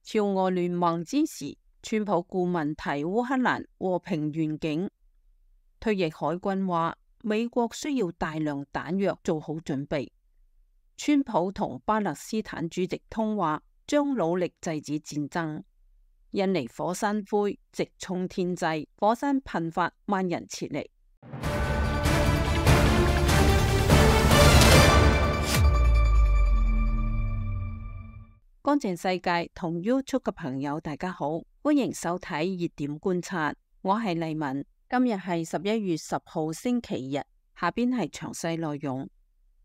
朝俄聯盟之時，川普顧問提烏克蘭和平願景。退役海軍話，美國需要大量彈藥做好準備。川普同巴勒斯坦主席通話，將努力制止戰爭。印尼火山灰直衝天際，火山噴發，萬人撤離。乾淨世界同 YouTube 嘅朋友大家好，歡迎收睇熱點觀察，我係麗文。今日係11月10號星期日，下邊係詳細內容。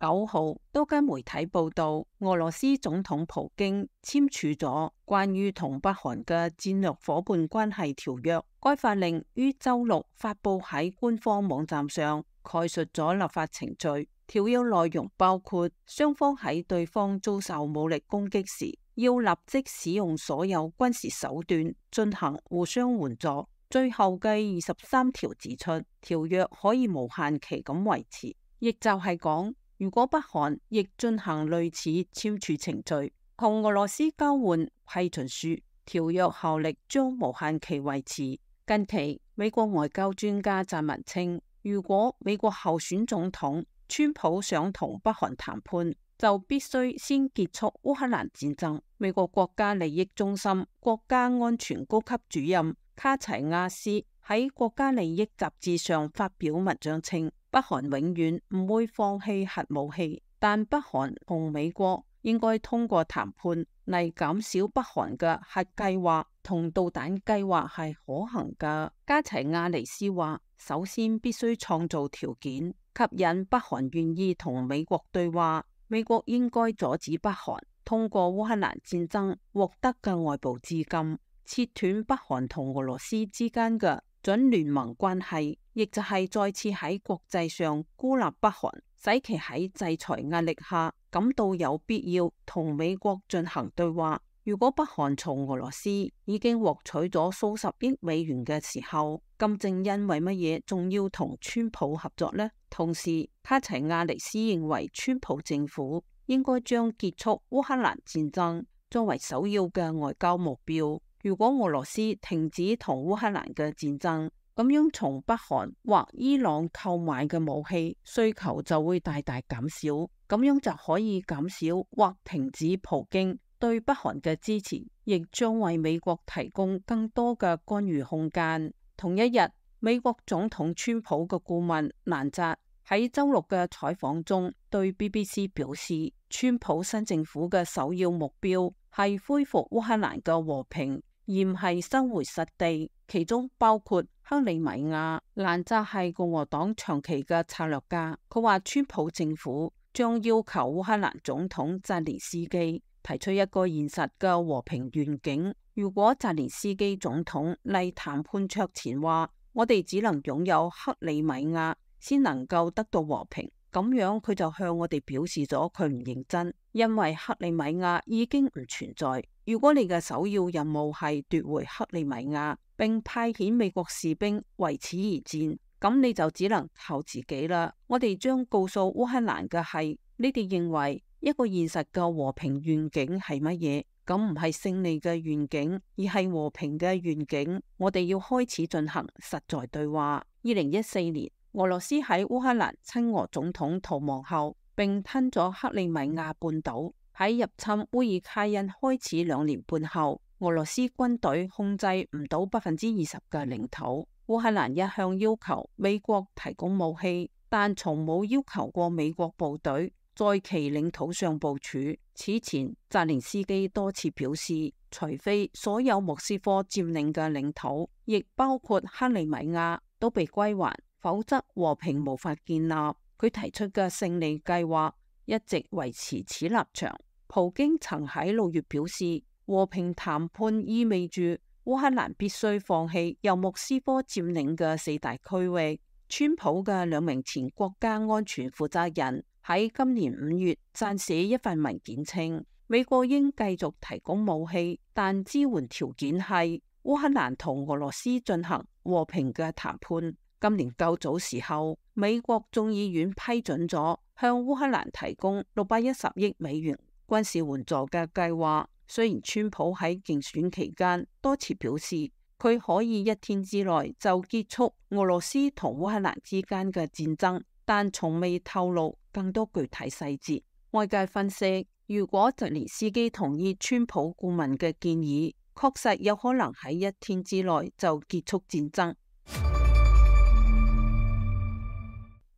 9號，多間媒體報道，俄羅斯總統普京簽署咗關於同北韓嘅戰略夥伴關係條約。該法令於周六發佈喺官方網站上，概述咗立法程序。條約內容包括雙方喺對方遭受武力攻擊時，要立即使用所有軍事手段進行互相援助。最後嘅23條指出，條約可以無限期咁維持，亦就係講，如果北韓亦進行類似簽署程序，同俄羅斯交換批准書，條約效力將無限期維持。近期，美國外交專家撰文稱，如果美國候選總統川普想同北韓談判，就必須先結束烏克蘭戰爭。美國國家利益中心國家安全高級主任卡齊亞斯喺國家利益雜誌上發表文章稱，北韓永遠唔會放棄核武器，但北韓同美國應該通過談判嚟減少北韓嘅核計劃同導彈計劃係可行㗎。加齊亞尼斯話，首先必須創造條件，吸引北韓願意同美國對話。美國應該阻止北韓通過烏克蘭戰爭獲得嘅外部資金，切斷北韓同俄羅斯之間嘅準聯盟關係，亦就係再次喺國際上孤立北韓，使其喺制裁壓力下感到有必要同美國進行對話。如果北韓從俄羅斯已經獲取咗數十億美元嘅時候，金正恩為乜嘢仲要同川普合作呢？同時，卡齊亞尼斯認為川普政府應該將結束烏克蘭戰爭作為首要嘅外交目標。如果俄羅斯停止同烏克蘭嘅戰爭，咁樣從北韓或伊朗購買嘅武器需求就會大大減少，咁樣就可以減少或停止普京對北韓嘅支持，亦將為美國提供更多嘅干預空間。同一日，美國總統川普嘅顧問蘭澤喺周六嘅採訪中對 BBC 表示，川普新政府嘅首要目標係恢復烏克蘭嘅和平，而唔係收回失地，其中包括克里米亞。蘭澤係共和黨長期嘅策略家，佢話川普政府將要求烏克蘭總統澤連斯基提出一個現實嘅和平願景。如果澤連斯基總統嚟談判桌前話，我哋只能擁有克里米亞先能夠得到和平，咁樣佢就向我哋表示咗佢唔認真，因為克里米亞已經唔存在。如果你嘅首要任務係奪回克里米亞，並派遣美國士兵為此而戰，咁你就只能靠自己啦。我哋將告訴烏克蘭嘅係，你哋認為一個現實嘅和平願景係乜嘢？咁唔係勝利嘅願景，而係和平嘅願景。我哋要開始進行實在對話。2014年，俄羅斯喺烏克蘭親俄總統逃亡後，並吞咗克里米亞半島。喺入侵烏爾卡因開始2年半後，俄羅斯軍隊控制唔到20%嘅領土。烏克蘭一向要求美國提供武器，但從冇要求過美國部隊在其領土上部署。此前，澤連斯基多次表示，除非所有莫斯科佔領嘅領土，亦包括克里米亞，都被歸還，否則和平無法建立。佢提出嘅勝利計劃一直維持此立場。普京曾喺6月表示，和平談判意味住烏克蘭必須放棄由莫斯科佔領嘅4大區域。川普嘅2名前國家安全負責人喺今年5月撰寫一份文件稱，美國應繼續提供武器，但支援條件係烏克蘭同俄羅斯進行和平嘅談判。今年較早時候，美國眾議院批准咗向烏克蘭提供610億美元軍事援助嘅計劃。雖然川普喺競選期間多次表示佢可以一天之內就結束俄羅斯同烏克蘭之間嘅戰爭，但從未透露更多具體細節。外界分析，如果澤連斯基同意川普顧問嘅建議，確實有可能喺一天之內就結束戰爭。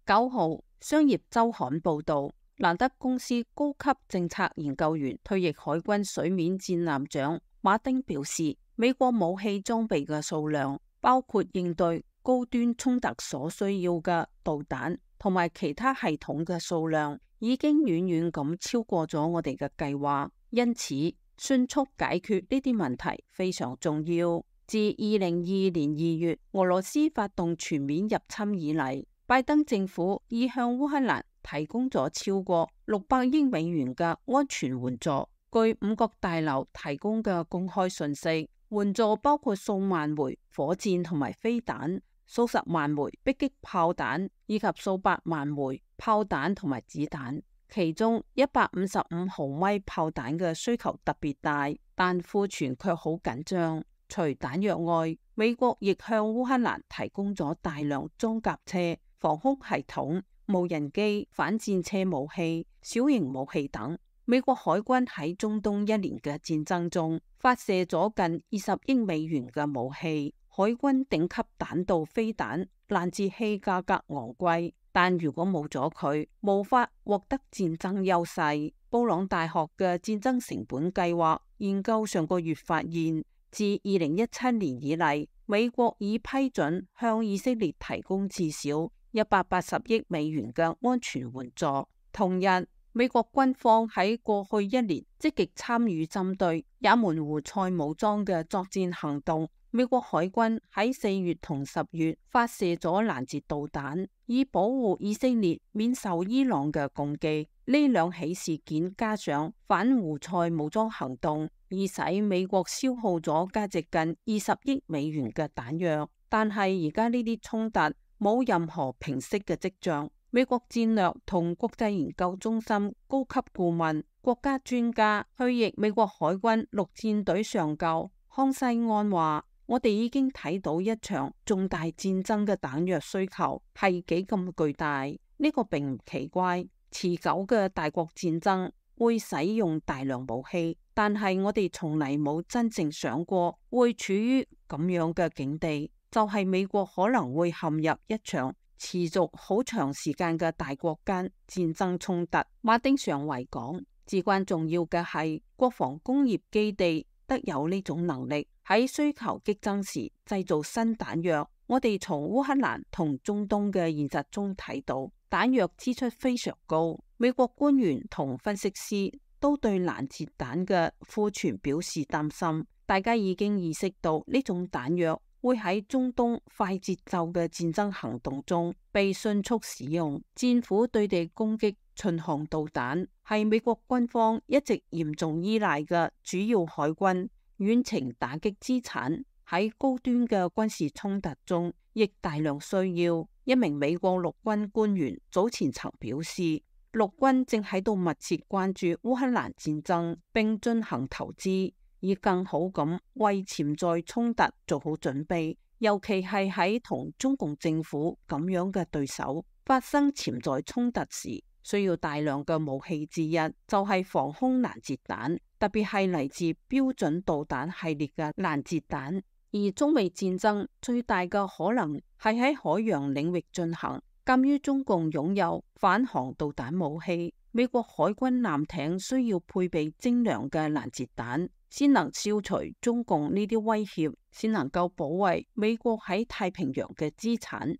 9號，商業週刊報道，蘭德公司高級政策研究員、退役海軍水面戰艦長馬丁表示，美國武器裝備嘅數量，包括應對高端衝突所需要嘅導彈同埋其他系統嘅數量，已經遠遠咁超過咗我哋嘅計劃，因此迅速解決呢啲問題非常重要。自2022年2月俄羅斯發動全面入侵以嚟，拜登政府已向烏克蘭提供咗超過600億美元嘅安全援助。據五角大樓提供嘅公開信息，援助包括數萬枚火箭同埋飛彈、數十萬枚迫擊炮彈以及數百萬枚炮彈同埋子彈。其中155毫米炮彈嘅需求特別大，但庫存卻好緊張。除彈藥外，美國亦向烏克蘭提供咗大量裝甲車、防空系統、無人機、反戰車武器、小型武器等。美國海軍喺中東1年嘅戰爭中發射咗近20億美元嘅武器，海軍頂級彈道飛彈攔截器價格昂貴，但如果冇咗佢，無法獲得戰爭優勢。布朗大學嘅戰爭成本計劃研究上個月發現，自2017年以嚟，美國已批准向以色列提供至少180億美元嘅安全援助。同日，美國軍方喺過去1年積極參與針對也門胡塞武裝嘅作戰行動。美國海軍喺4月同10月發射咗攔截導彈，以保護以色列免受伊朗嘅攻擊。呢兩起事件加上反胡塞武裝行動，已使美國消耗咗價值近20億美元嘅彈藥。但係而家呢啲衝突冇任何平息嘅跡象。美國戰略同國際研究中心高級顧問、國家專家、退役美國海軍陸戰隊上校康西安話：我哋已經睇到一場重大戰爭嘅彈藥需求係幾咁巨大。呢個並唔奇怪，持久嘅大國戰爭會使用大量武器，但係我哋從嚟冇真正想過會處於咁樣嘅境地，就係美國可能會陷入一場持續好長時間嘅大國間戰爭衝突。馬丁上尉講，至關重要嘅係國防工業基地得有呢種能力，喺需求激增時製造新彈藥。我哋從烏克蘭同中東嘅現實中睇到，彈藥支出非常高。美國官員同分析師都對攔截彈嘅庫存表示擔心。大家已經意識到呢種彈藥會喺中東快節奏嘅戰爭行動中被迅速使用。戰斧對地攻擊巡航導彈係美國軍方一直嚴重依賴嘅主要海軍遠程打擊資產，喺高端嘅軍事衝突中亦大量需要。一名美國陸軍官員早前曾表示，陸軍正喺度密切關注烏克蘭戰爭，並進行投資，以更好咁為潛在衝突做好準備，尤其係喺同中共政府咁樣嘅對手發生潛在衝突時，需要大量嘅武器之一就係防空攔截彈，特別係嚟自標準導彈系列嘅攔截彈。而中美戰爭最大嘅可能係喺海洋領域進行。鑒於中共擁有反航導彈武器，美國海軍艦艇需要配備精良嘅攔截彈，先能消除中共呢啲威脅，先能夠保衛美國喺太平洋嘅資產。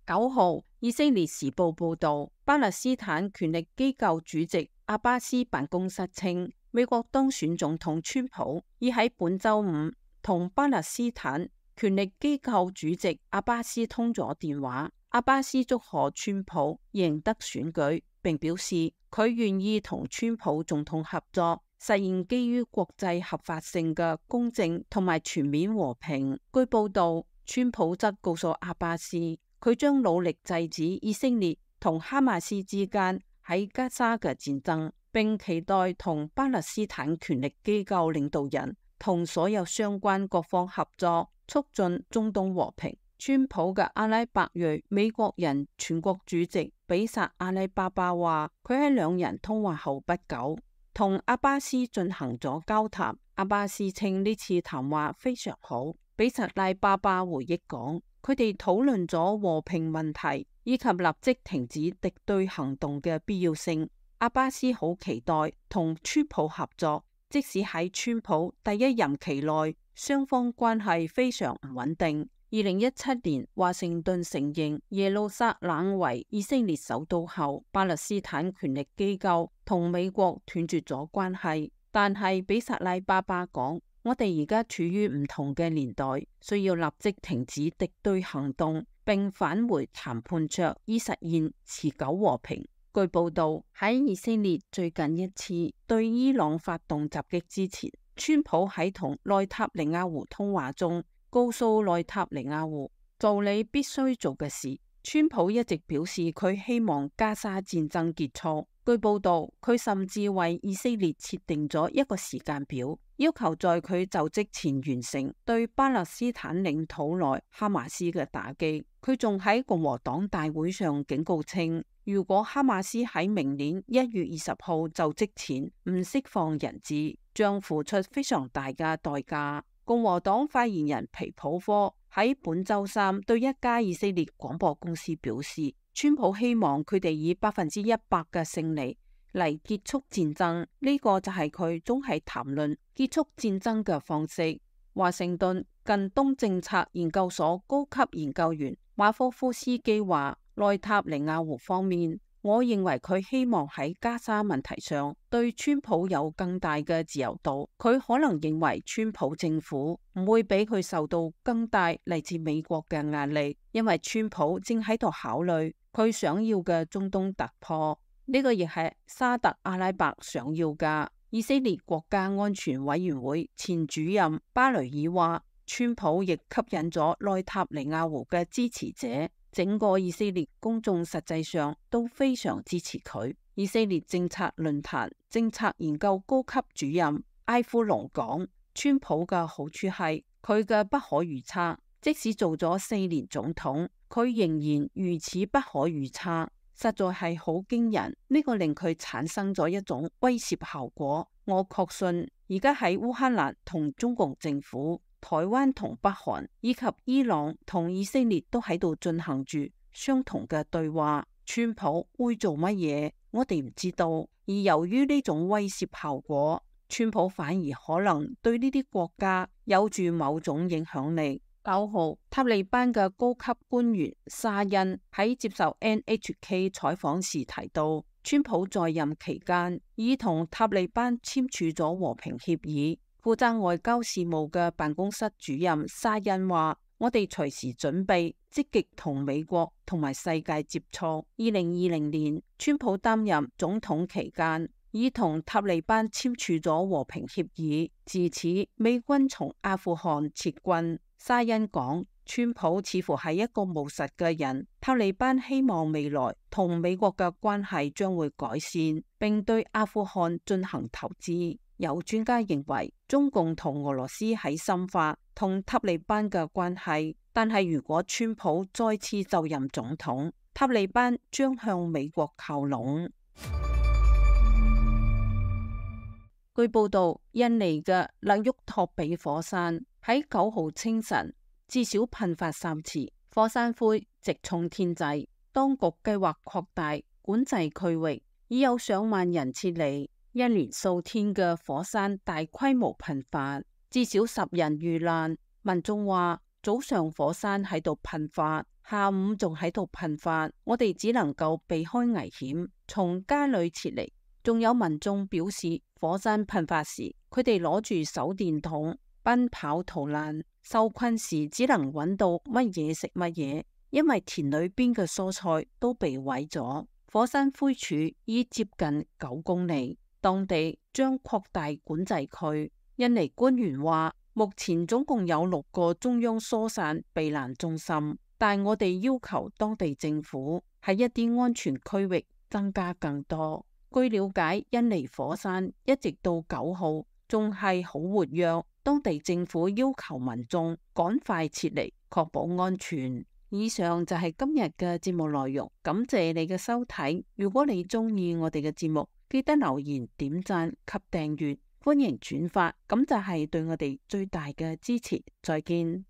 9號，以色列時報報道，巴勒斯坦權力機構主席阿巴斯辦公室稱，美國當選總統川普已喺本周五同巴勒斯坦權力機構主席阿巴斯通咗電話。阿巴斯祝賀川普贏得選舉，並表示佢願意同川普總統合作，實現基於國際合法性嘅公正同埋全面和平。據報道，川普則告訴阿巴斯，佢將努力制止以色列同哈馬斯之間喺加沙嘅戰爭，並期待同巴勒斯坦權力機構領導人同所有相關各方合作，促進中東和平。川普嘅阿拉伯裔美國人全國主席比薩阿拉巴巴話，佢喺兩人通話後不久，同阿巴斯進行咗交談。阿巴斯稱呢次談話非常好。比薩拉巴巴回憶講，佢哋討論咗和平問題以及立即停止敵對行動嘅必要性。阿巴斯好期待同川普合作，即使喺川普第一任期內，雙方關係非常唔穩定。2017年，華盛頓承認耶路撒冷為以色列首都後，巴勒斯坦權力機構同美國斷絕咗關係。但係比薩拉巴巴講，我哋而家處於唔同嘅年代，需要立即停止敵對行動，並返回談判桌，以實現持久和平。據報道，喺以色列最近一次對伊朗發動襲擊之前，川普喺同內塔尼亞胡通話中，告訴內塔尼亞胡做你必須做嘅事。川普一直表示佢希望加沙戰爭結束。據報道，佢甚至為以色列設定咗一個時間表，要求在佢就職前完成對巴勒斯坦領土內哈馬斯嘅打擊。佢仲喺共和黨大會上警告稱，如果哈馬斯喺明年1月20號就職前唔釋放人質，將付出非常大嘅代價。共和黨發言人皮普科喺本周三對一家以色列廣播公司表示，川普希望佢哋以100%嘅勝利嚟結束戰爭，呢個就係佢總係談論結束戰爭嘅方式。華盛頓近東政策研究所高級研究員馬科夫斯基話，內塔尼亞胡方面，我認為佢希望喺加沙問題上對川普有更大嘅自由度。佢可能認為川普政府唔會俾佢受到更大嚟自美國嘅壓力，因為川普正喺度考慮佢想要嘅中東突破。呢個亦係沙特阿拉伯想要嘅。以色列國家安全委員會前主任巴雷爾話，川普亦吸引咗內塔尼亞胡嘅支持者。整個以色列公眾實際上都非常支持佢。以色列政策論壇政策研究高級主任埃夫隆講，川普嘅好處係佢嘅不可預測，即使做咗4年總統，佢仍然如此不可預測，實在係好驚人。呢個令佢產生咗一種威懾效果。我確信而家喺烏克蘭同中共政府、台灣同北韓以及伊朗同以色列都喺度進行住相同嘅對話。川普會做乜嘢，我哋唔知道。而由於呢種威懾效果，川普反而可能對呢啲國家有住某種影響力。9號，塔利班嘅高級官員沙欣喺接受 NHK 採訪時提到，川普在任期間已同塔利班簽署咗和平協議。負責外交事務嘅辦公室主任沙欣話，我哋隨時準備積極同美國同埋世界接觸。2020年，川普擔任總統期間已同塔利班簽署咗和平協議，自此美軍從阿富汗撤軍。沙欣講，川普似乎係一個務實嘅人，塔利班希望未來同美國嘅關係將會改善，並對阿富汗進行投資。有專家認為，中共同俄羅斯喺深化同塔利班嘅關係，但係如果川普再次就任總統，塔利班將向美國靠攏。據報道，印尼嘅勒沃托比火山喺9號清晨至少噴發3次，火山灰直衝天際。當局計劃擴大管制區域，已有上萬人撤離。一連數天嘅火山大規模噴發，至少10人遇難。民眾話，早上火山喺度噴發，下午仲喺度噴發，我哋只能夠避開危險，從家裏撤離。仲有民眾表示，火山噴發時，佢哋攞住手電筒奔跑逃難，受困時只能揾到乜嘢食乜嘢，因為田裏邊嘅蔬菜都被毀咗。火山灰柱已接近9公里。當地將擴大管制區。印尼官員話，目前總共有6個中央疏散避難中心，但我哋要求當地政府喺一啲安全區域增加更多。據了解，印尼火山一直到9號仲係好活躍，當地政府要求民眾趕快撤離，確保安全。以上就係今日嘅節目內容，感謝你嘅收睇。如果你中意我哋嘅節目，記得留言、點讚及訂閱，歡迎轉發，咁就係對我哋最大嘅支持。再見。